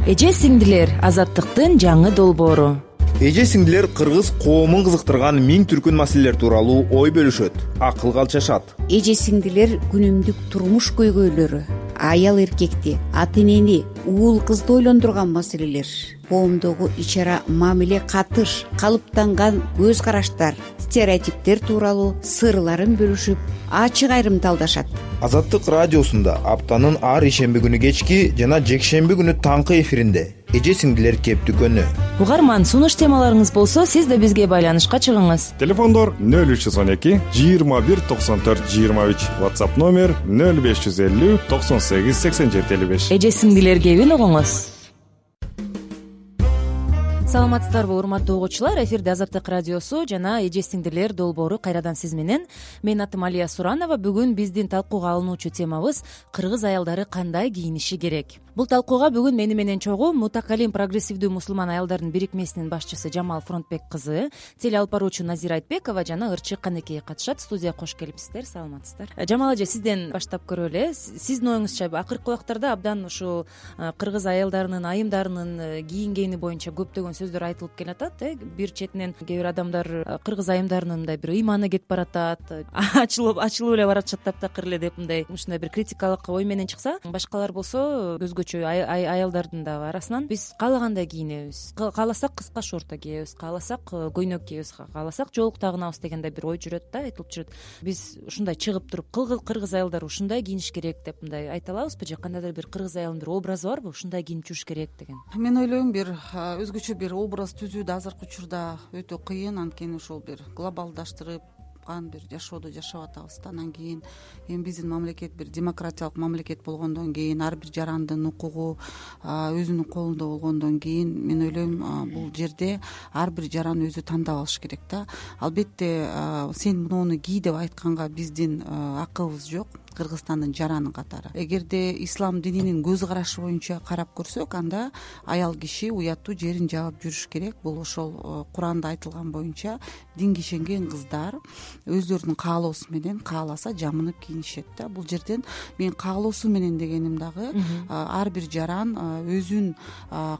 Эже сиңдилер, азаттыктын жаңы долбоору. Эже сиңдилер кыргыз коомун кызыктырган миң түркүн маселелер тууралуу ой бөлүшөт, акылга алчашат. Эже сиңдилер күнүмдүк турмуш көйгөйлөрү, аял эркекти, ата энени, уул кызды ойлондурган маселелер, коомдогу ич ара мамиле, катыш, калыптанган көз караштар, стереотиптер тууралуу сырларын бөлүшүп, ачык айрымталдашат. Азаттык радиосунда аптанын ар ишемби күнү кечки жана жекшемби күнү таңкы эфиринде эже сиңдилер кептүкөнү. Угарман, сунуш темаларыңыз болсо, сиз да бизге байланышка чыгыңыз. Телефондор 0312 21 94 23, WhatsApp номер 0550 98 87 55. Эже сиңдилер кебин угуңуз. Саламатсыздарбы, урматтуу угуучулар? Эфирде Азаттык радиосу жана эже сиңдилер долбоору кайрадан сиз менен. Менин атым Алия Суранова. Бүгүн биздин талкууга алынуучу темабыз кыргыз аялдары кандай кийиниши керек. Бул талкууга бүгүн мени менен чогуу Мутакалим прогрессивдүү мусулман аялдардын бирикмесинин башчысы Жамал Фронтбек кызы, теле алып баруучу Назира Айтбекова жана Ырчык Канекей катышат. Студияга кош келипсиздер. Саламатсыздар. Жамал эже, сизден баштап көрөлү. Сиздин оюңузча акыркы убактарда абдан ушул кыргыз аялдарынын, айымдарынын кийингени боюнча көптөгөн сөздөр айтылып келатат. Бир четинен кээ бир адамдар кыргыз айымдарынын мындай бир ыйманы кетип баратат, ачылып эле баратышат таптакыр эле деп мындай ушундай бир критикалык ой менен чыкса, башкалар болсо көзгөчө аялдардын да арасынан биз каалагандай кийинебиз, кааласак кыска шорто кийебиз, кааласак көйнөк кийебиз, кааласак жоолук тагынабыз дегендей бир ой жүрөт да, айтылып жүрөт. Биз ушундай чыгып туруп кыргыз аялдары ушундай кийиниш керек деп мындай айта алабызбы, же кандайдыр бир кыргыз аялынын бир образы барбы, ушундай кийинип жүрүш керек деген? Мен ойлойм, бир өзгөчө бир образ түзүү да азыркы учурда өтө кыйын. Анткени ошол бир глобалдаштырып бир жашоодо жашап атабыз да. Анан кийин эми биздин мамлекет бир демократиялык мамлекет болгондон кийин, ар бир жарандын укугу өзүнүн колунда болгондон кийин, мен ойлойм бул жерде ар бир жаран өзү тандап алыш керек да. Албетте сен муну кий деп айтканга биздин акыбыз жок, Кыргызстандын жараны катары. Эгерде ислам дининин көз карашы боюнча карап көрсөк, анда аял киши уяттуу жерин жаап жүрүш керек. Бул ошол Куранда айтылган боюнча динге ишенген кыздар өздөрүнүн каалоосу менен кааласа жамынып кийинишет да. Бул жерден мен каалоосу менен дегеним дагы ар бир жаран өзүн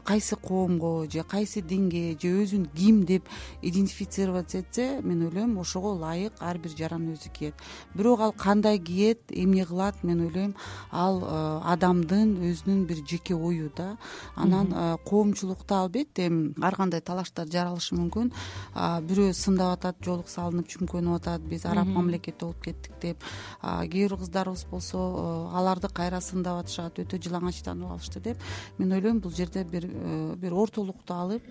кайсы коомго же кайсы динге же өзүн ким деп идентифицировать этсе, мен ойлойм ошого ылайык ар бир жаран өзү кийет. Бирок ал кандай кийет, эмне кылат, мен ойлойм ал адамдын өзүнүн бир жеке ою да. Анан коомчулукта албетте ар кандай талаштар жаралышы мүмкүн. Бирөө сындап атат, жоолук салынып чүмкөнүп атат, биз араб мамлекети болуп кеттик деп. Кээ бир кыздарыбыз болсо аларды кайра сындап атышат, өтө жылаңачтанып алышты деп. Мен ойлойм бул жерде бир ортолукту алып,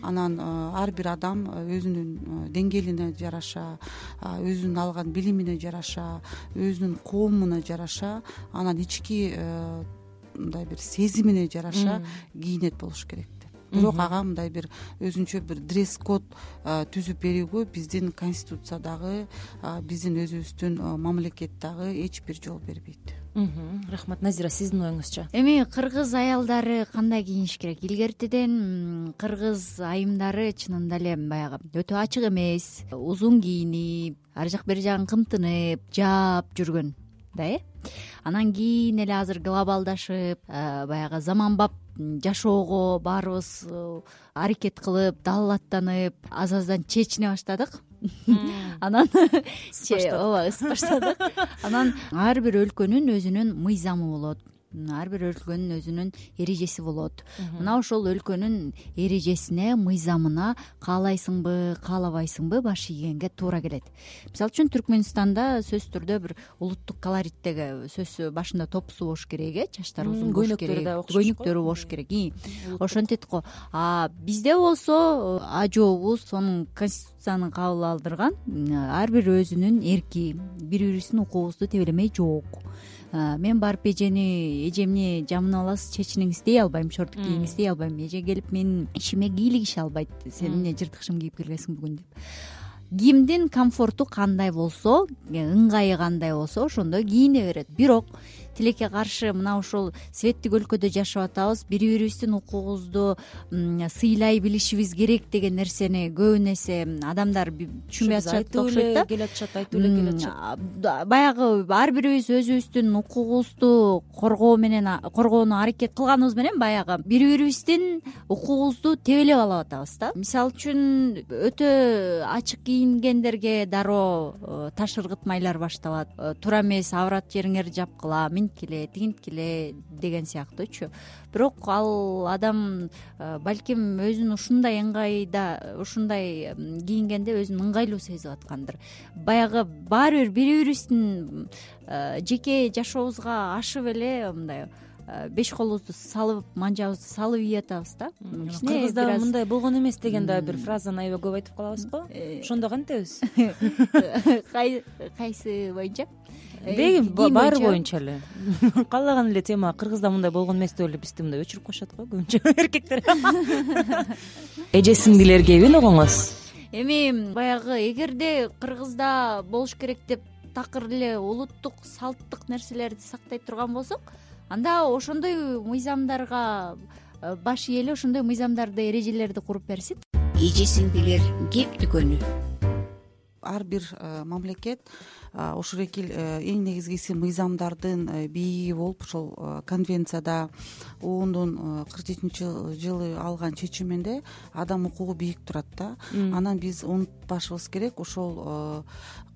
анан ар бир адам өзүнүн деңгээлине жараша, өзүнүн алган билимине жараша, өзүнүн коомуна жараша, анан ички мындай бир сезимине жараша кийинет болуш керек деп. Бирок ага мындай бир өзүнчө бир дресс-код түзүп берүүгө биздин конституциядагы, биздин өзүбүздүн мамлекеттагы эч бир жол бербейт. Рахмат. Назира, сиздин оюңузча? Эми кыргыз аялдары кандай кийиниш керек? Илгертиден кыргыз айымдары чынында эле баягы өтө ачык эмес, узун кийинип, ар жак бери жагын кымтынып, жаап жүргөн да. Анан кийин эле азыр глобалдашып, баягы заманбап жашоого баарыбыз аракет кылып, далалаттанып, аз-аздан чечине баштадык. Анан ысып баштадык. Анан ар бир өлкөнүн өзүнүн мыйзамы болот. Ар бир өлкөнүн өзүнүн эрежеси болот. Мына ошол өлкөнүн эрежесине, мыйзамына каалайсыңбы, каалабайсыңбы баш ийгенге туура келет. Мисалы үчүн Түркмөнстанда сөзсүз түрдө бир улуттук колориттеги сөз башында топусу болуш керек, чачтары узун болуш керек, көйнөктөрү болуш керек. Ошентет го. Бизде болсо ажообуз сонун конституцияны кабыл алдырган, ар бир өзүнүн эрки, бири-бирибиздин укугубузду тебелемей жок. Мен барып эжемни жамынып аласыз, чечиниңиз дей албайм, шорт кийиңиз дей албайм. Эже келип менин ишиме кийлигише албайт. Сен эмне жыртык шым кийип келгенсиң бүгүн деп. Кимдин комфорту кандай болсо, ыңгайы кандай болсо, ошондой кийине берет. Бирок тилекке каршы мына ушул светтик өлкөдө жашап атабыз, бири бирибиздин укугубузду сыйлай билишибиз керек деген нерсени көбүн эсе адамдар түшүнбөй атышат окшойт да. Айтуу эле келе атышат. Баягы ар бирибиз өзүбүздүн укугубузду коргоону аракет кылганыбыз менен баягы бири бирибиздин укугубузду тебелеп алып атабыз да. Мисалы үчүн өтө ачык кийингендерге дароо таш ыргытмайлар башталат. Туура эмес, аврат жериңерди жапкыла, минткиле, тигинткиле деген сыяктуучу. Бирок ал адам балким өзүн ушундай ыңгайда, ушундай кийингенде өзүн ыңгайлуу сезип аткандыр. Баягы баары бир бири бирибиздин жеке жашообузга ашып эле мындай беш колубузду салып, манжабызды салып ийип атабыз да. Кыргызда мындай болгон эмес деген да бир фразаны аябай көп айтып калабызго. Ошондо кантебиз? Кайсы боюнча? Деги баары боюнча эле. Каалаган эле тема Кыргызда мындай болгон эмес деп эле бизди мындай өчүрүп коюшат го көбүнчө эркектер. Эже сиңдилер кебин огоңуз? Эми баягы эгерде Кыргызда болуш керек деп такыр эле улуттук салттык нерселерди сактай турган болсок, анда ошондой мыйзамдарга баш ээлеп, ошондой мыйзамдарды, эрежелерди куруп берсин. Эже сиңдилер кеп дүкөнү. Ар бир мамлекет ошол эки эң негизгиси мыйзамдардын бийиги болуп, ошол конвенцияда ООНдун 47-жылы алган чечиминде адам укугу бийик турат да. Анан биз унутпашыбыз керек, ошол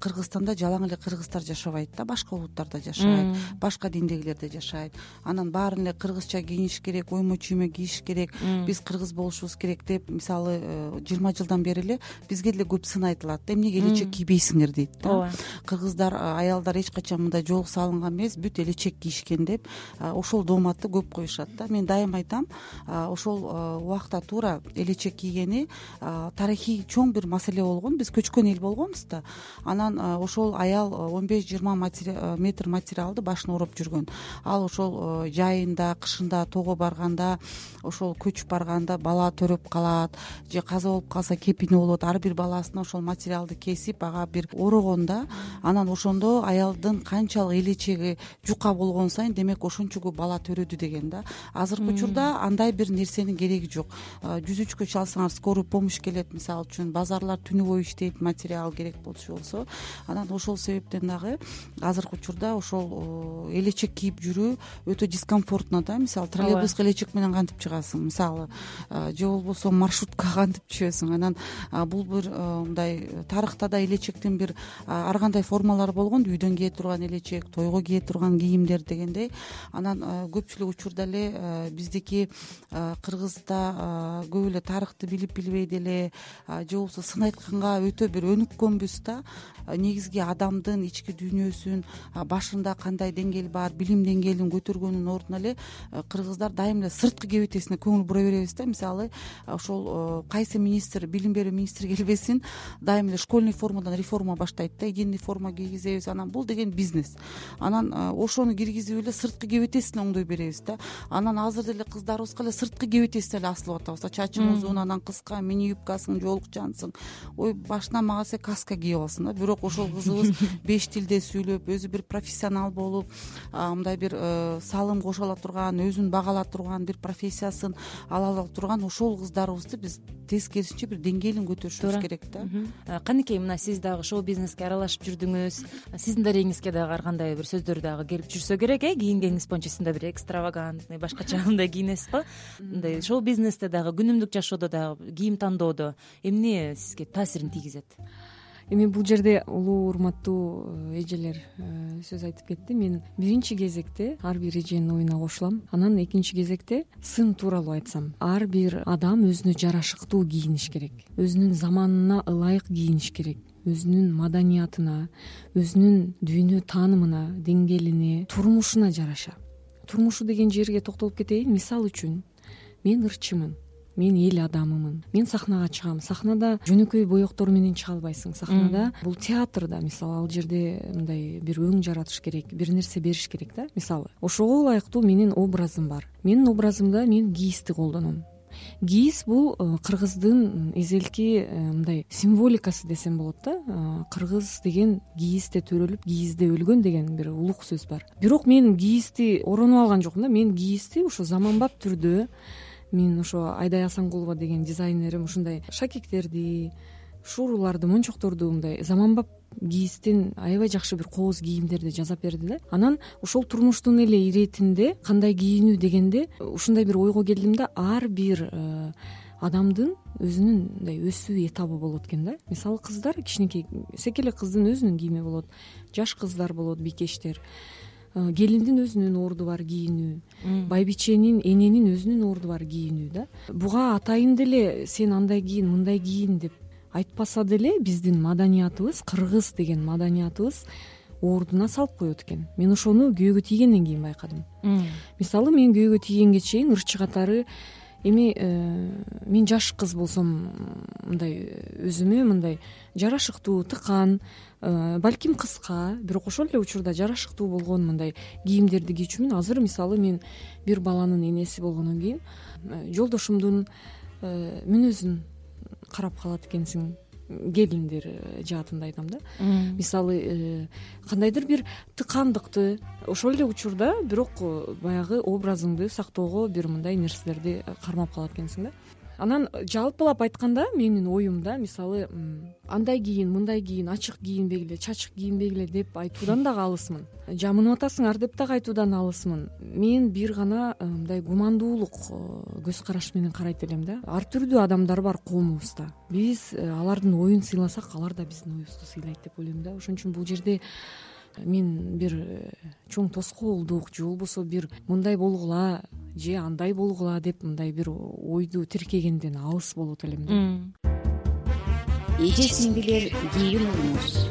Кыргызстанда жалаң эле кыргыздар жашабайт да, башка улуттарда жашайт, башка диндегилер да жашайт. Анан баарын эле кыргызча кийиниш керек, оймо чүймө кийиш керек, биз кыргыз болушубуз керек деп, мисалы 20 жылдан бери эле бизге деле көп сын айтылат да, эмнеге элечек кийбейсиңер дейт да. Кыргыздар, аялдар эч качан мындай жоолук салынган эмес, бүт элечек кийишкен деп ошол дооматты көп коюшат да. Мен дайым айтам, ошол убакта туура элечек кийгени тарыхый чоң бир маселе болгон. Биз көчкөн эл болгонбуз да. Анан ошол аял 15-20 метр материалды башына ороп жүргөн. Ал ошол жайында, кышында тоого барганда, ошол көчүп барганда бала төрөп калат же каза болуп калса кепини болот. Ар бир баласына ошол материалды кесип ага бир орогон да. Анан ошондо аялдын канчалык элечеги жука болгон сайын, демек ошончо көп бала төрөдү деген да. Азыркы учурда андай бир нерсенин кереги жок. 103кө чалсаңар скорый помощь келет, мисалы үчүн базарлар түнү бою иштейт, материал керек болсо. Анан ошол себептен дагы азыркы учурда ошол элечек кийип жүрүү өтө дискомфортно да. Мисалы троллейбуска элечек менен кантип чыгасың, мисалы же болбосо маршруткага кантип түшөсүң. Анан бул бир мындай тарыхта да элечектин бир ар кандай формалары болгон, үйдөн кие турган элечек, тойго кие турган кийимдер дегендей. Анан көпчүлүк учурда эле биздики Кыргызда көп эле тарыхты билип билбей деле же болбосо сын айтканга өтө бир өнүккөнбүз да. Негизги адамдын ички дүйнөсүн, башында кандай деңгээл бар, билим деңгээлин көтөргөнүн ордуна эле кыргыздар дайым эле сырткы кебетесине көңүл бура беребиз да. Мисалы ошол кайсы министр, билим берүү министри келбесин, дайым эле школьный формадан реформа баштайт да, единый форма кийгизебиз. Анан бул деген бизнес. Анан ошону киргизип эле сырткы кебетесине оңдой беребиз да. Анан азыр деле кыздарыбызга эле сырткы кебетесине эле асылып атабыз да. Чачың узун, анан кыска, мини юбкасың, жоолукчансың. Ой, башынан магаса каска кийип алсың да. Бирок ошол кызыбыз 5 тилде сүйлөп, өзү бир профессионал болуп, мындай бир салым кошо ала турган, өзүн багала турган, бир профессиясын ала турган ошол кыздарыбызды биз тескерисинче бир деңгээлин көтөрүшүбүз керек да. Канекей, мына сиз дагы шоу бизнеске аралашып жүрдүңүз. Сиздин дарегиңизге дагы ар кандай бир сөздөр дагы келип жүрсө керек, кийингениңиз боюнча сиз да бир экстравагантный, башкача мындай кийинесиз го. Мындай шоу бизнесте дагы, күнүмдүк жашоодо дагы, кийим тандоодо эмне сизге таасирин тийгизет? Эми бул жерде улуу урматтуу эжелер сөз айтып кетти. Мен биринчи кезекте ар бир эженин оюна кошулам. Анан экинчи кезекте сын тууралуу айтсам, ар бир адам өзүнө жарашыктуу кийиниш керек, өзүнүн заманына ылайык кийиниш керек, өзүнүн маданиятына, өзүнүн дүйнө таанымына, деңгээлине, турмушуна жараша. Турмушу деген жерге токтолуп кетейин. Мисалы үчүн, мен ырчымын, мен эл адамымын, мен сахнага чыгам. Сахнада жөнөкөй боектор менен чыга албайсың. Сахнада бул театрда, мисалы, ал жерде мындай бир өң жаратыш керек, бир нерсе бериш керек да. Мисалы, ошого ылайыктуу менин образым бар. Менин образымда мен кийизди колдоном. кийиз бул кыргыздын эзелки мындай символикасы десем болот да. Кыргыз деген кийизде төрөлүп кийизде өлгөн деген бир улук сөз бар. Бирок мен кийизди оронуп алган жокмун да. Мен кийизди ошо заманбап түрдө, мен ошо Айдай Асанкулова деген дизайнерим ушундай шакектерди, шууруларды, мончокторду мындай заманбап кийизден аябай жакшы бир кооз кийимдерди жасап берди да. Анан ошол турмуштун эле иретинде кандай кийинүү дегенде ушундай бир ойго келдим да. Ар бир адамдын өзүнүн мындай өсүү этабы болот экен да. Мисалы кыздар, кичинекей секелек кыздын өзүнүн кийими болот, жаш кыздар болот, бикештер. Келиндин өзүнүн орду бар кийинүү, байбиченин, эненин өзүнүн орду бар кийинүү да. Буга атайын деле сен андай кийин, мындай кийин деп айтпаса деле биздин маданиятыбыз, кыргыз деген маданиятыбыз ордуна салып коет экен. Мен ошону күйөөгө тийгенден кийин байкадым. Мисалы мен күйөөгө тийгенге чейин ырчы катары эми мен жаш кыз болсом мындай өзүмө мындай жарашыктуу, тыкан, балким кыска, бирок ошол эле учурда жарашыктуу болгон мындай кийимдерди кийчүмүн. Азыр мисалы мен бир баланын энеси болгондон кийин жолдошумдун мүнөзүн карап калат экенсиң, келиндер жаатында айтам да. Мисалы кандайдыр бир тыкандыкты ошол эле учурда бирок баягы образыңды сактоого бир мындай нерселерди кармап калат экенсиң да. Анан жалпылап айтканда менин оюмда мисалы андай кийин, мындай кийин, ачык кийинбегиле, чачык кийинбегиле деп айтуудан дагы алысмын. Жамынып атасыңар деп дагы айтуудан алысмын. Мен бир гана мындай гумандуулук көз караш менен карайт элем да. Ар түрдүү адамдар бар коомубузда. Биз алардын оюн сыйласак, алар да биздин оюбузду сыйлайт деп ойлойм да. Ошон үчүн бул жерде мен бир чоң тоскоолдук же болбосо бир мындай болгула же андай болгула деп мындай бир ойду тиркегенден алыс болот элем да. Эже сиңдилер, кийин уюңуз.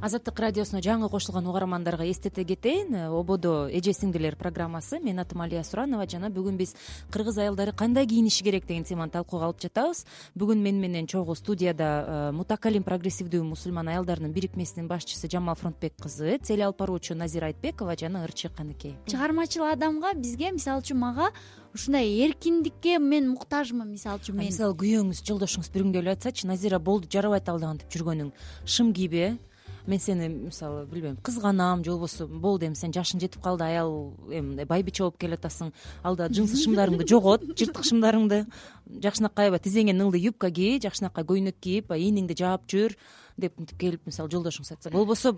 Азаттык радиосуна жаңы кошулган угармандарга эстете кетейин. Ободо эже сиңдилер программасы. Мен атым Алия Суранова жана бүгүн биз кыргыз аялдары кандай кийиниши керек деген теманы талкууга алып жатабыз. Бүгүн менен чогуу студияда Мутакалим прогрессивдүү мусулман аялдарынын бирикмесинин башчысы Жамал Фронтбек кызы, теле алып баруучу Назира Айтбекова жана ырчы Каныкей. Чыгармачыл адамга, бизге, мисалы үчүн мага ушундай эркиндикке мен муктажмын. Мисалы үчүн мен мисалы күйөөңүз, жолдошуңуз бир күнгө эле айтсачы, Назира болду, жарабайт ал дагы деп жүргөнүң, шым кийбе, мен сени мисалы билбейм кызганам же болбосо болду эми сен жашың жетип калды, аял эми мындай байбиче болуп келатасың, алда жынсы шымдарыңды жогот, жыртык шымдарыңды, жакшынакай аябай тизеңе ыңгай юбка кий, жакшынакай көйнөк кийип ийниңди жаап жүр деп мынтип келип мисалы жолдошуңуз айтса, болбосо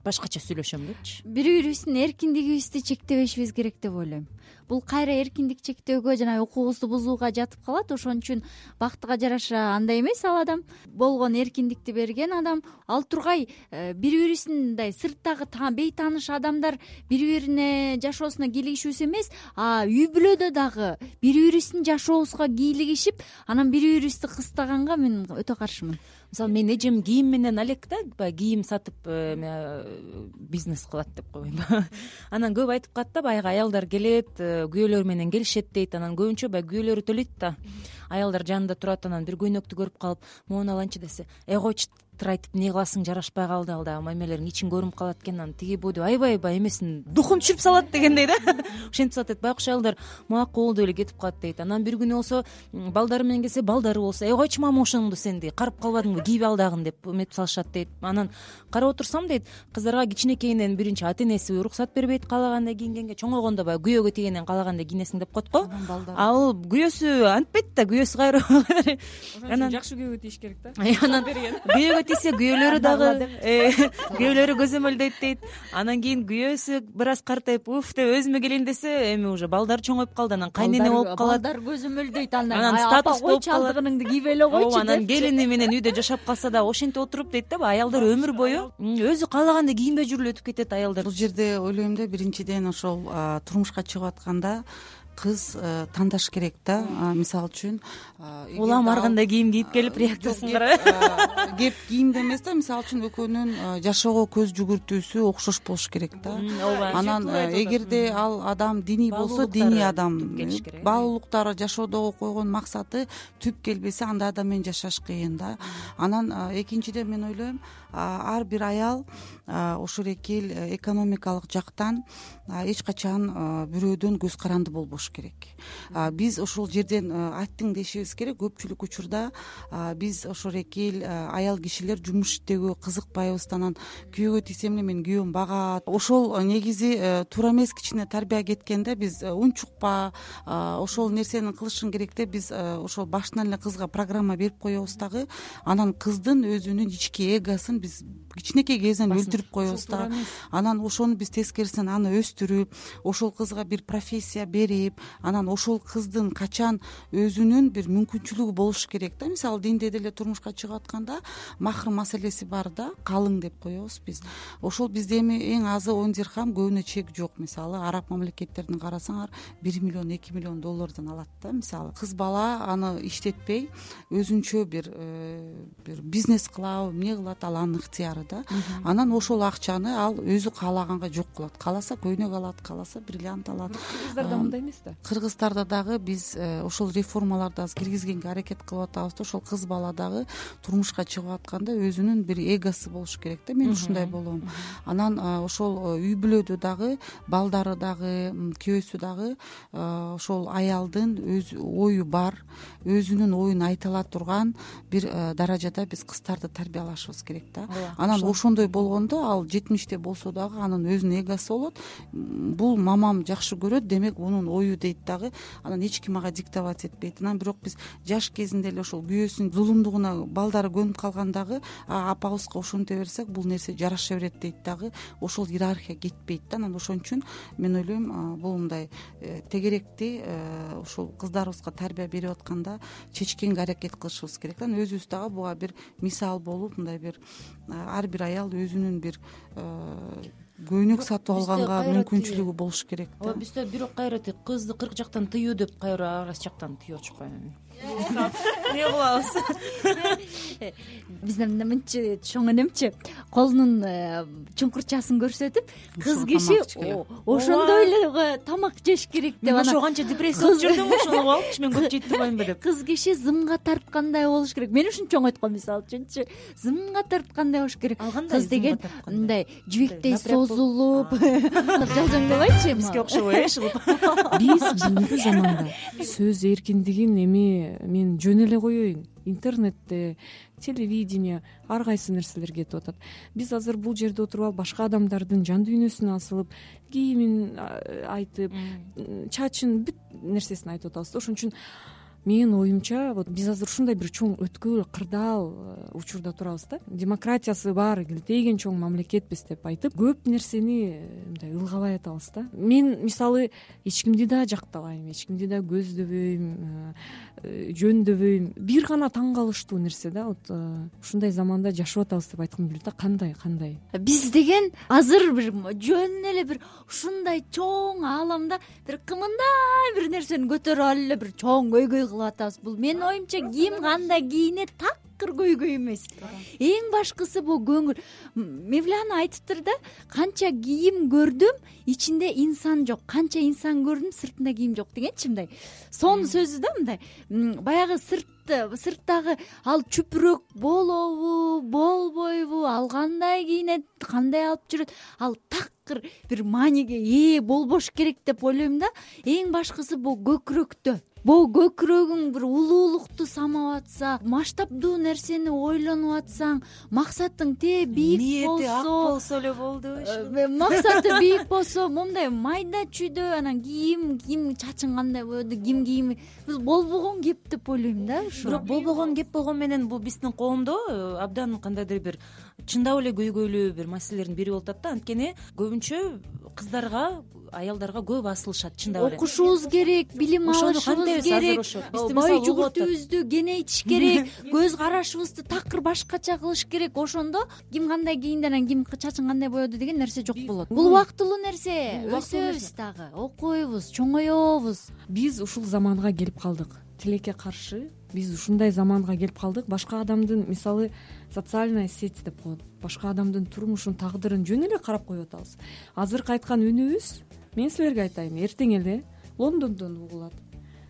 башкача сүйлөшөм депчи. Бири-бирибиздин эркиндигибизди чектебешибиз керек деп ойлойм. Бул кайра эркиндик чектөөгө жана укугубузду бузууга жатып калат. Ошон үчүн бактыга жараша андай эмес ал адам, болгон эркиндикти берген адам. Ал тургай бири-бирибиздин мындай сырттагы бейтааныш адамдар бири-бирине жашоосуна кийлигишүүсү эмес, үй бүлөдө дагы бири-бирибиздин жашообузга кийлигишип, анан бири-бирибизди кыстаганга мен өтө каршымын. Мисалы мен эжем кийим менен алек да, баягы кийим сатып бизнес кылат деп койбоймбу. Анан көп айтып калат да, баягы аялдар келет, күйөөлөрү менен келишет дейт. Анан көбүнчө баягы күйөөлөрү төлөйт да. Аялдар жанында турат, анан бир көйнөктү көрүп калып, могуну алайынчы десе, койчу айтып эмне кыласың, жарашпай калды, ал дагы мамелериң ичин көрүнүп калат экен, анан тиги бу деп аябай эмесин духун түшүрүп салат дегендей да. Ошентип салат дейт. Байкуш аялдар макул деп эле кетип калат дейт. Анан бир күнү болсо балдары менен келсе, балдары болсо, койчу мама ошоңду сенди карып калбадыңбы, кийип ал дагы деп эметип салышат дейт. Анан карап отурсам дейт, кыздарга кичинекейинен биринчи ата энеси уруксат бербейт каалагандай кийингенге, чоңойгондо баягы күйөөгө тийгенден каалагандай кийинесиң деп коет го. Ал күйөөсү антпайт да, күйөөсү кайра. Анан жакшы күйөөгө тийиш керек да. Анан күйөөгө тийсе күйөөлөрү дагы күйөөлөрү көзөмөлдөйт дейт. Анан кийин күйөөсү бир аз картайып, уф деп өзүмө келейин десе, эми уже балдар чоңоюп калды, анан кайнене болуп калат. Балдар көзөмөлдөйт, анан статус болуп калат. Чалдыгыңды кийип эле койчу деп. Анан келини менен үйдө жашап калса да ошентип отуруп дейт да, аялдар өмүр бою өзү каалагандай кийинбей жүрүп өтүп кетет аялдар. Бул жерде ойлойм да, биринчиден ошол турмушка чыгып атканда кыз тандаш керек да. Мисалы үчүн улам ар кандай кийим кийип келип реакциясын карабы. Кеп кийимде эмес да, мисалы үчүн экөөнүн жашоого көз жүгүртүүсү окшош болуш керек да. Анан эгерде ал адам диний болсо, диний адам, баалуулуктары жашоодогу койгон максаты түп келбесе, андай адам менен жашаш кыйын да. Анан экинчиден мен ойлойм, ар бир аял ошол эки эл экономикалык жактан эч качан бирөөдөн көз каранды болбош керек. Биз ошол жерден айттың дешибиз керек. Көпчүлүк учурда биз ошол эки эл аял кишилер жумуш иштөөгө кызыкпайбыз. Анан күйөөгө тийсем эле менин күйөөм багат. Ошол негизи туура эмес, кичине тарбия кеткенде биз унчукпа, ошол нерсени кылышың керек деп биз ошол башынан эле кызга программа берип коебуз дагы. Анан кыздын өзүнүн ички эгосын биз кичинекей кезинен өлтүрүп коебуз да. Анан ошону биз тескерисинен аны өстүрүп, ошол кызга бир профессия берип, анан ошол кыздын качан өзүнүн бир мүмкүнчүлүгү болуш керек да. Мисалы динде деле турмушка чыгып атканда махр маселеси бар да, калың деп коебуз биз. Ошол бизде эми эң азы 10 дирхам, көбүнө чек жок. Мисалы араб мамлекеттерин карасаңар 1 миллион, 2 миллион доллардан алат да. Мисалы кыз бала аны иштетпей өзүнчө бир бизнес кылабы, эмне кылат, ал анын ыктыяры да. Анан ошол акчаны ал өзү каалаганга жок кылат. Кааласа көйнөк алат, кааласа бриллиант алат. Кыргыздарда мындай эмес да. Кыргыздарда дагы биз ошол реформаларды азыр киргизгенге аракет кылып атабыз да. Ошол кыз бала дагы турмушка чыгып атканда өзүнүн бир эгосу болуш керек да. Мен ушундай болом. Анан ошол үй бүлөдө дагы балдары дагы, күйөөсү дагы ошол аялдын өз ою бар, өзүнүн оюн айта ала турган бир даражада биз кыздарды тарбиялашыбыз керек да. Анан ошондой болгондо ал 70те болсо дагы анын өзүнүн эгосу болот. Бул мамам жакшы көрөт, демек мунун ою дейт дагы. Анан эч ким мага диктовать этпейт. Анан бирок биз жаш кезинде эле ошол күйөөсүнүн зулумдугуна балдары көнүп калгандагы апабызга ушинте берсек бул нерсе жараша берет дейт дагы. Ошол иерархия кетпейт да. Анан ошон үчүн мен ойлойм, бул мындай тегеректи ошол кыздарыбызга тарбия берип атканда чечкенге аракет кылышыбыз керек. Анан өзүбүз дагы буга бир мисал болуп, мындай бир ар бир аял өзүнүн бир көйнөк сатып алганга мүмкүнчүлүгү болуш керек да. Ооба, бизде бирок кайра кызды 40 жактан тыюу деп кайра арас жактан тыеп атышпайбы? Эмне кылабыз? Бизден мынча чоң энемчи колунун чуңкурчасын көрсөтүп, кыз киши ошондой эле тамак жеш керек деп. Ошо канча депрессия болуп жүрдүм, ошону алып мен көп жей турбаймынбы деп. Кыз киши зымга тарткандай болуш керек. Мен ушунчоң айткам, мисалы үчүнчү, зымга тарткандай болуш керек. Кыз деген мындай жибектей созулуп, жалжаңдабайчы, бизге окшобой шылып. Биз бүгүнкү заманда сөз эркиндигин эми мен жөн эле коеюн, интернетте, телевидение, ар кайсы нерселер кетип атат. Биз азыр бул жерде отуруп алып башка адамдардын жан дүйнөсүн асылып, кийимин айтып, чачын бүт нерсесин айтып атабыз. Ошон үчүн менин оюмча, вот биз азыр ушундай бир чоң өткүл, кырдаал учурда турабыз да. Демократиясы бар, келтейген чоң мамлекетпиз деп айтып, көп нерсени мындай ылгабай атабыз да. мен мисалы эч кимди да жактабайм, эч кимди да көздөбөйм, жөндөбөйм. Бир гана таң калыштуу нерсе да, вот ушундай заманда жашап атабыз деп айткым келет да. Кандай биз деген азыр бир жөн эле бир ушундай чоң ааламда бир кымындай бир нерсени көтөрүп алып эле бир чоң көйгөй кылып атабыз. Бул менин оюмча ким кандай кийине такыр көйгөй эмес. Эң башкысы бул көңүл. Мевлана айтыптыр да, канча кийим көрдүм, ичинде инсан жок, канча инсан көрдүм, сыртында кийим жок дегенчи, мындай сонун сөзү да. Мындай баягы сырттагы ал чүпүрөк болобу, болбойбу, ал кандай кийинет, кандай алып жүрөт, ал такыр бир мааниге ээ болбош керек деп ойлойм да. Эң башкысы бул көкүрөктө. Бул көкүрөгүң бир улуулукту самап атса, масштабдуу нерсени ойлонуп атсаң, максатың бийик болсо, ак болсо эле болду. Максаты бийик болсо, моундай майда чүйдө, анан кийим чачың кандай болду, ким кийими болбогон кеп деп ойлойм да. Бирок болбогон кеп болгон менен бул биздин коомдо абдан кандайдыр бир чындап эле көйгөйлүү бир маселелердин бири болуп атат да. Анткени көбүнчө кыздарга аялдарга көп басылышат чындап эле. Окушубуз керек, билим алышыбыз керек, бай жүгүртүүбүздү кеңейтиш керек, көз карашыбызды такыр башкача кылыш керек. Ошондо ким кандай кийинди, анан ким чачын кандай боёду деген нерсе жок болот. Бул убактылуу нерсе. Өсөбүз дагы, окуйбуз, чоңоебуз. Биз ушул заманга келип калдык. Тилекке каршы биз ушундай заманга келип калдык. Башка адамдын, мисалы, социальная сеть деп коет, башка адамдын турмушун, тагдырын жөн эле карап коюп атабыз. Азыркы айткан үнүбүз, мен силерге айтайын, эртең эле Лондондон угулат.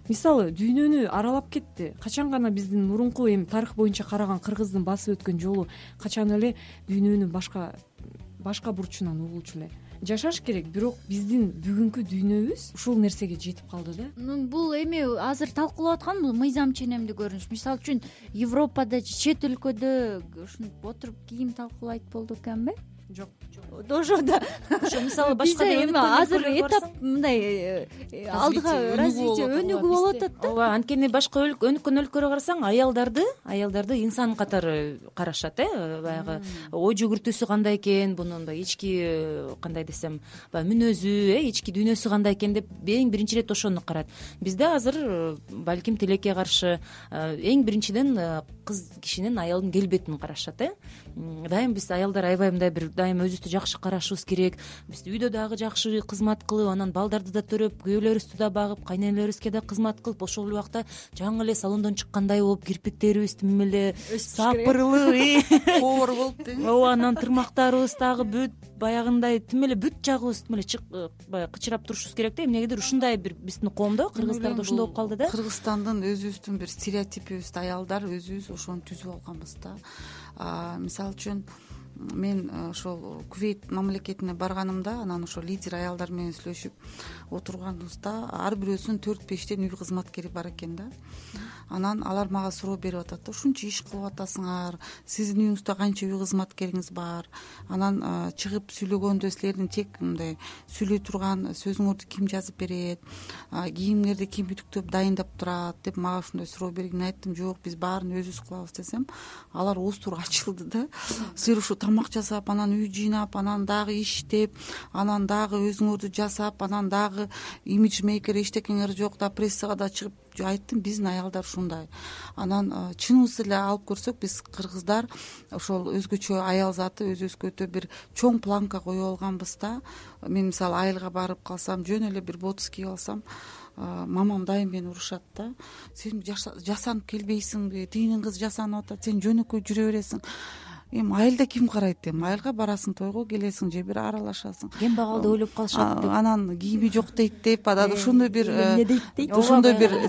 Мисалы, дүйнөнү аралап кетти. Качан гана биздин мурунку эми тарых боюнча караган кыргыздын басып өткөн жолу качан эле дүйнөнүн башка бурчунан угулчу эле жашаш керек. Бирок биздин бүгүнкү дүйнөбүз ушул нерсеге жетип калды да. Бул эми азыр талкуулап аткан бул мыйзам ченемдүү көрүнүш. Мисалы үчүн Европада же чет өлкөдө ушинтип отуруп кийим талкуулайт болду экенби? Жок. Ошондо мисалы башка эми азыр этап мындай алдыга развитие өнүгүп болуп атат да. ооба, анткени башка өнүккөн өлкөлөргө карасаң аялдарды инсан катары карашат, баягы ой жүгүртүүсү кандай экен, бунун ички кандай десем, баягы мүнөзү, ички дүйнөсү кандай экен деп эң биринчи ирет ошону карайт. Бизде азыр балким тилекке каршы эң биринчиден кыз кишинин, аялдын келбетин карашат. Дайым биз аялдар аябай мындай бир дайым өзүбүздү жакшы карашыбыз керек. Биз үйдө дагы жакшы кызмат кылып, анан балдарды да төрөп, күйөөлөрүбүздү да багып, кайненелерибизге да кызмат кылып, ошол убакта жаңы эле салондон чыккандай болуп, кирпиктерибиз тим эле сапырылып, коор болуп дейм. ооба, анан тырмактарыбыз дагы бүт баягындай тим эле бүт жагыбыз тим эле баягы кычырап турушубуз керек да. Эмнегедир ушундай бир биздин коомдо, кыргыздарда ушундай болуп калды да. Кыргызстандын өзүбүздүн бир стереотипибиз, аялдар өзүбүз ошону түзүп алганбыз да. Мисалы үчүн мен ошол Кувейт мамлекетине барганымда, анан ошол лидер аялдар менен сүйлөшүп отурганыбызда ар бирөөсүнүн 4-5тен үй кызматкери бар экен да. Анан алар мага суроо берип атат да, ушунча иш кылып атасыңар, сиздин үйүңүздө канча үй кызматкериңиз бар, анан чыгып сүйлөгөндө силердин тек мындай сүйлөй турган сөзүңөрдү ким жазып берет, кийимдерди ким үтүктөп дайындап турат деп мага ушундай суроо берген. Мен айттым, жок, биз баарын өзүбүз кылабыз десем, алар ооздору ачылды да. Силер ушу тамак жасап, анан үй жыйнап, анан дагы иштеп, анан дагы өзүңөрдү жасап, анан дагы имиджмейкер эчтекеңер жок да, прессага да чыгып. Айттым, биздин аялдар ушундай. Анан чыныбызды эле алып көрсөк, биз кыргыздар ошол өзгөчө аял заты, өзүбүзгө өтө бир чоң планка коюп алганбыз да. Мен мисалы айылга барып калсам, жөн эле бир ботус кийип алсам, мамам дайым мени урушат да. Сен жасанып келбейсиңби? Тигинин кызы жасанып атат, сен жөнөкөй жүрө бересиң. Эми айылда ким карайт? Эми айылга барасың, тойго келесиң же бир аралашасың. Кем багалды ойлоп калышат деп. Анан кийими жок дейт деп, анан ошондой бир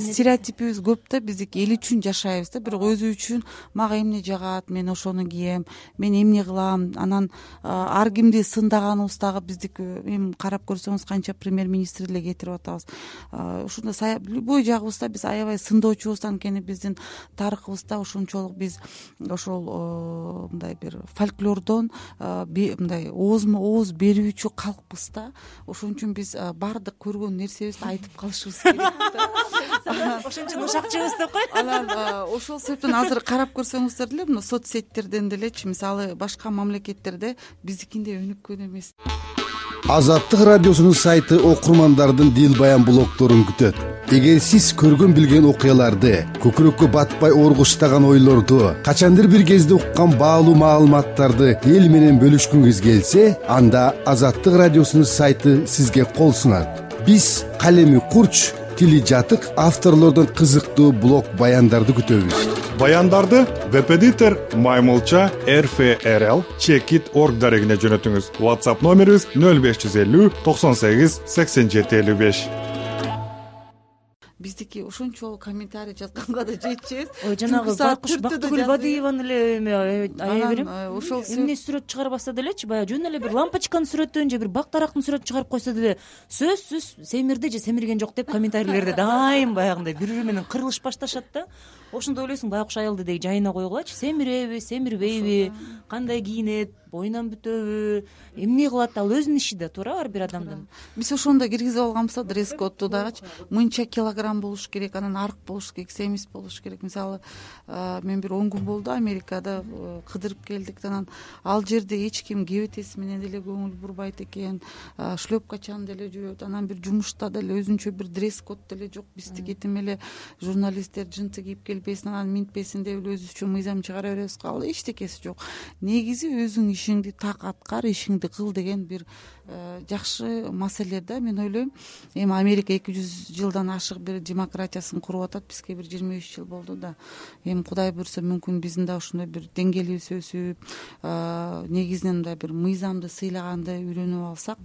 стереотипибиз көп да. Биздики эл үчүн жашайбыз да, бирок өзү үчүн мага эмне жагат, мен ошону кием, мен эмне кылам. Анан ар кимди сындаганыбыз дагы биздики, эми карап көрсөңүз канча премьер-министр эле кетирип атабыз. Ушундай любой жагыбызда биз аябай сындоочубуз, анткени биздин тарыхыбызда ошончолук биз ошол мындай бир фольклордон мындай ооз берүүчү калкпыз да. Ошон үчүн биз баардык көргөн нерсебизди айтып калышыбыз керек да. Ошон үчүн ушакчыбыз деп кой. Анан ошол себептен азыр карап көрсөңүздөр деле, мына соцсеттерден делечи, мисалы башка мамлекеттерде биздикиндей өнүккөн эмес. Азаттык радиосунун сайты окурмандардын дил баян блогторун күтөт. Эгер сиз көргөн билген окуяларды, көкүрөккө батпай оргуштаган ойлорду, качандыр бир кезде уккан баалуу маалыматтарды эл менен бөлүшкүңүз келсе, анда Азаттык радиосунун сайты сизге кол сунат. Биз калеми курч, тили жатык авторлордун кызыктуу блог баяндарды күтөбүз. Баяндарды веб-эдитор Маймылча RFRL Checkit.org дарегине жөнөтүңүз. WhatsApp номерибиз 0550 98 87 55. Биздики ошончолук комментарий жазганга да жетчүбүз. Ой, жанагы Байкуш Бактыгүл Бадыеванын эле ая берем. Ошол эмне сүрөт чыгарбаса делечи, баягы жөн эле бир лампочканын сүрөтүн же бир бак дарактын сүрөтүн чыгарып койсо деле сөзсүз семирди же семирген жок деп комментарийлерде дайым баягындай бири-бири менен кырылыш башташат да. Ошондо ойлойсуң, Байкуш айылды деги жайына койгулачы, семиреби, семирбейби, кандай кийинет, боюнан бүтөбү, эмне кылат, ал өзүнүн иши да, туура, ар бир адамдын. Биз ошондо киргизип алганбыз да, дресс-кодду дагычы. Мынча килограмм мыйзам болуш керек, анан арк болуш керек, семиз болуш керек. Мисалы мен бир 10 күн болду Америкада кыдырып келдик. Анан ал жерде эч ким кебетеси менен деле көңүл бурбайт экен, шлепкачан деле жүрөт. Анан бир жумушта деле өзүнчө бир дресс-код деле жок. Биздики тим эле журналисттер жынты кийип келбесин, анан минтпесин деп эле өзүбүзчө мыйзам чыгара беребиз. Ал эчтекеси жок. Негизи өзүң ишиңди так аткар, ишиңди кыл деген бир жакшы маселе да. Мен ойлойм, эми Америка 200 жылдан ашык бир демократиясын куруп атат, бизге бир 23 жыл болду да. Эми Кудай буйрса мүмкүн биздин да ушундай бир деңгээлибиз өсүп, негизинен мындай бир мыйзамды сыйлаганды үйрөнүп алсак,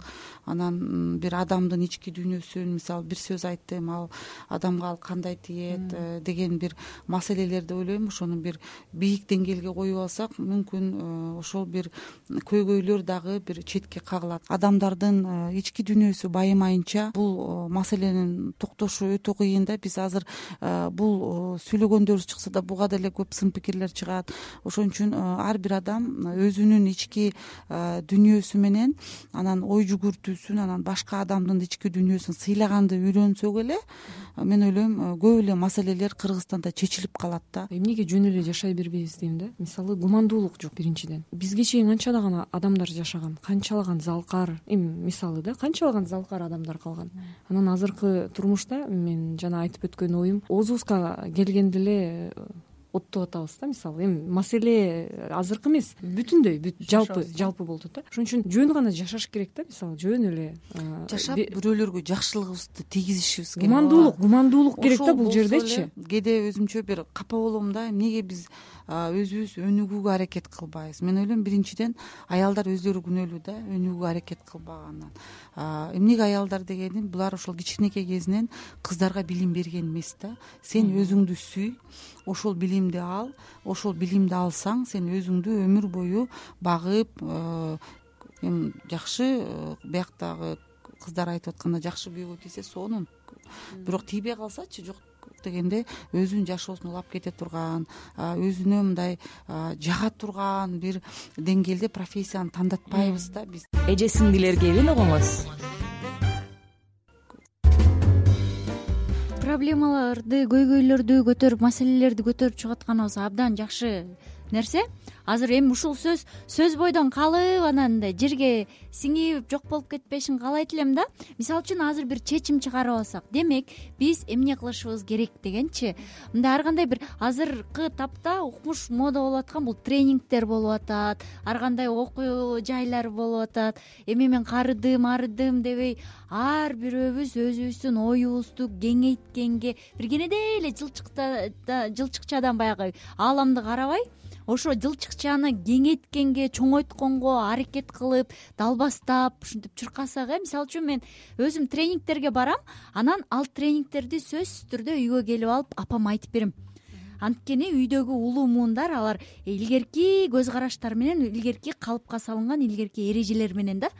анан бир адамдын ички дүйнөсүн, мисалы бир сөз айттым, ал адамга ал кандай тиет деген бир маселелерди ойлойм, ошону бир бийик деңгээлге коюп алсак, мүмкүн ошол бир көйгөйлөр дагы бир четке кагылат. Адамдардын ички дүйнөсү байымайынча бул маселенин токтошу өтө кыйын да. Биз азыр бул сүйлөгөндөрүбүз чыкса да буга деле көп сын пикирлер чыгат. Ошон үчүн ар бир адам өзүнүн ички дүйнөсү менен, анан ой жүгүртүүсүн, анан башка адамдын ички дүйнөсүн сыйлаганды үйрөнсөк эле, мен ойлойм көп эле маселелер Кыргызстанда чечилип калат да. Эмнеге жөн эле жашай бербейбиз дейм да. Мисалы гумандуулук жок биринчиден. Бизге чейин канчалаган адамдар жашаган, канчалаган залкар, эми мисалы да, канчалаган залкар адамдар калган. Анан азыркы турмушта мен жана айтып өткөн оюм, оозубузга келгенде эле оттоп атабыз да. Мисалы эми маселе азыркы эмес, бүтүндөй жалпы болуп атат да. Ошон үчүн жөн гана жашаш керек да. Мисалы жөн эле жашап бирөөлөргө жакшылыгыбызды тийгизишибиз керек. Гумандуулук керек да бул жердечи. Кээде өзүмчө бир капа болом да, эмнеге биз өзүбүз өнүгүүгө аракет кылбайбыз. Мен ойлойм, биринчиден аялдар өздөрү күнөөлүү да, өнүгүүгө аракет кылбагандан. Эмнеге аялдар дегеним, булар ошол кичинекей кезинен кыздарга билим берген эмес да. Сен өзүңдү сүй, ошол билимди ал, ошол билимди алсаң, сен өзүңдү өмүр бою багып, эми жакшы, бияктагы кыздар айтып атканда жакшы күйөөгө тийсе сонун. Бирок тийбей калсачы, жок дегенде өзүнүн жашоосун улап кете турган, өзүнө мындай жага турган бир деңгээлде профессияны тандатпайбыз да биз. Эже сиңдилер кебин угуңуз. Проблемаларды, көйгөйлөрдү көтөрүп, маселелерди көтөрүп чыгып атканыбыз абдан жакшы нерсе. Азыр эми ушул сөз бойдон калып, анан мындай жерге сиңип жок болуп кетпешин каалайт элем да. Мисалы үчүн азыр бир чечим чыгарып алсак, демек биз эмне кылышыбыз керек дегенчи, мындай ар кандай бир азыркы тапта укмуш мода болуп аткан бул тренингдер болуп атат, ар кандай окуу жайлар болуп атат. Эми мен арыдым дебей, ар бирөөбүз өзүбүздүн оюбузду кеңейткенге, бир кенедей эле жылчыкчадан баягы ааламды карабай, ошо жылчыкчаны кеңейткенге, чоңойтконго аракет кылып, далбастап, ушинтип чуркасак, мисалы үчүн мен өзүм тренингдерге барам, анан ал тренингдерди сөзсүз түрдө үйгө келип алып апама айтып берем. Анткени үйдөгү улуу муундар алар илгерки көз караштар менен, илгерки калыпка салынган илгерки эрежелер менен да.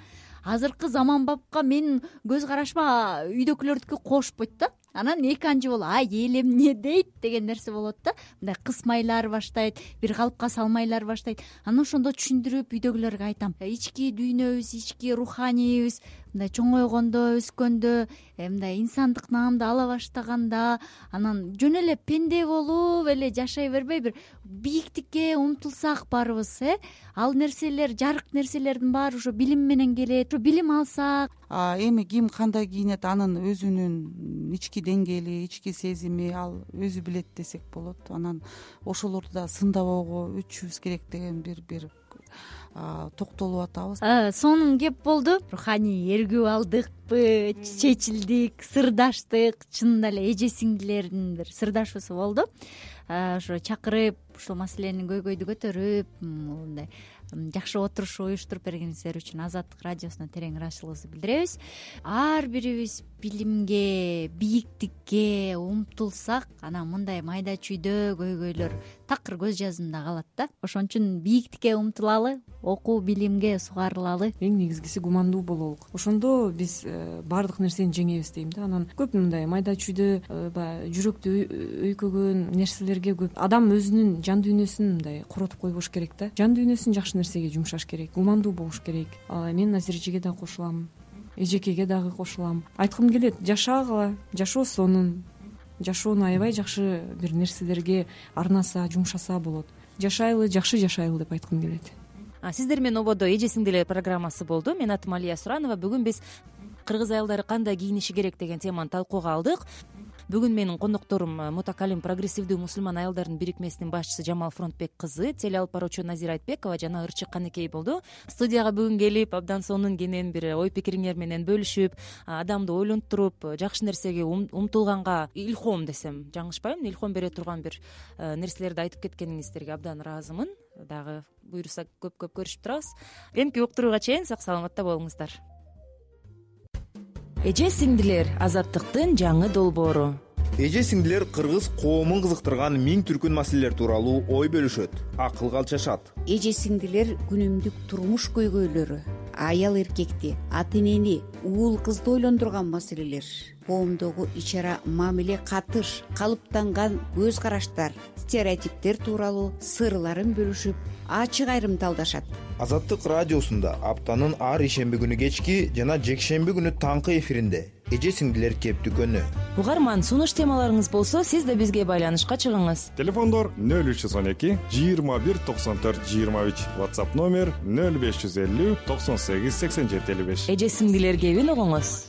Азыркы заманбапка менин көз карашыма үйдөгүлөрдүкү кошпойт да. Анан эки анчы болуп, эл эмне дейт деген нерсе болот да. Мындай кысмайлар баштайт, бир калыпка салмайлар баштайт. Анан ошондо түшүндүрүп үйдөгүлөргө айтам. Ички дүйнөбүз, ички руханийибиз мындай чоңойгондо, өскөндө, мындай инсандык наамды ала баштаганда, анан жөн эле пенде болуп эле жашай бербей, бир бийиктикке умтулсак барыбыз, ал нерселер, жарык нерселердин баары ошо билим менен келет. Ошо билим алсак, эми ким кандай кийинет, анын өзүнүн ички деңгээли, ички сезими ал өзү билет десек болот. Анан ошолорду да сындабоого өтүшүбүз керек деген бир токтолуп атабыз. Сонун кеп болду. Руханий эргүү алдыкпы, чечилдик, сырдаштык, чынында эле эже сиңдилердин бир сырдашуусу болду. Ошо чакырып, ушул маселенин көйгөйдү көтөрүп, мындай жакшы отуруш уюштуруп бергениңиздер үчүн Азаттык радиосуна терең ыраазычылыгыбызды билдиребиз. Ар бирибиз билимге, бийиктикке умтулсак, анан мындай майда чүйдө көйгөйлөр такыр көз жазымда калат да. Ошон үчүн бийиктикке умтулалы, окуу билимге сугарылалы. Эң негизгиси гумандуу бололук. Ошондо биз баардык нерсени жеңебиз дейм да. Анан көп мындай майда чүйдө баягы жүрөктү өйкөгөн нерселерге көп адам өзүнүн жан дүйнөсүн мындай коротуп койбош керек да. Жан дүйнөсүн жакшы нерсеге жумшаш керек, гумандуу болуш керек. Мен азыр эжеге да кошулам, эжекеге дагы кошулам. Айткым келет, жашагыла, жашоо сонун. жашоону аябай жакшы бир нерселерге арнаса, жумшаса болот. Жашайлы, жакшы жашайлы деп айткым келет. Сиздер менен ободо эже сиңдилер программасы болду. Менин атым Алия Суранова. Бүгүн биз кыргыз аялдары кандай кийиниши керек деген теманы талкууга алдык. Бүгүн менин кондокторум мутакалим прогрессивдүү мусулман аялдардын бирикмесинин башчысы Жамал Фронтбек кызы, теле алып баруучу Назира Айтбекова жана Ырчык Канекей болду. Студияга бүгүн келип, абдан сонун кенен бир ой пикириңер менен бөлүшүп, адамды ойлонтуруп, жакшы нерсеге умтулганга илхом десем жаңылышпаймын, илхом бере турган бир нерселерди айтып кеткениңиздерге абдан ыраазымын. Дагы буйрса көп көрүшүп турабыз. Эмки уктурууга чейин сак саламатта болуңуздар. Эже сиңдилер азаттыктын жаңы долбоору. Эже сиңдилер кыргыз коомун кызыктырган миң түркүн маселелер тууралуу ой бөлүшөт, акылга алчашат. Эже сиңдилер күнүмдүк турмуш көйгөйлөрү, аял эркекти, ата энени, уул кызды ойлондурган маселелер, коомдогу ичара мамиле катыш, калыптанган көз караштар, стереотиптер тууралуу сырларын бөлүшүп, ачык айрымталдашат. Азаттык радиосунда аптанын ар ишемби күнү кечки жана жекшемби күнү таңкы эфиринде эже сиңдилер кептикөнү. Угарман, сунуш темаларыңыз болсо, сиз да бизге байланышка чыгыңыз. Телефондор 0312 21 94 23, WhatsApp номер 0550 98 87 55. Эже сиңдилер кебин угуңуз.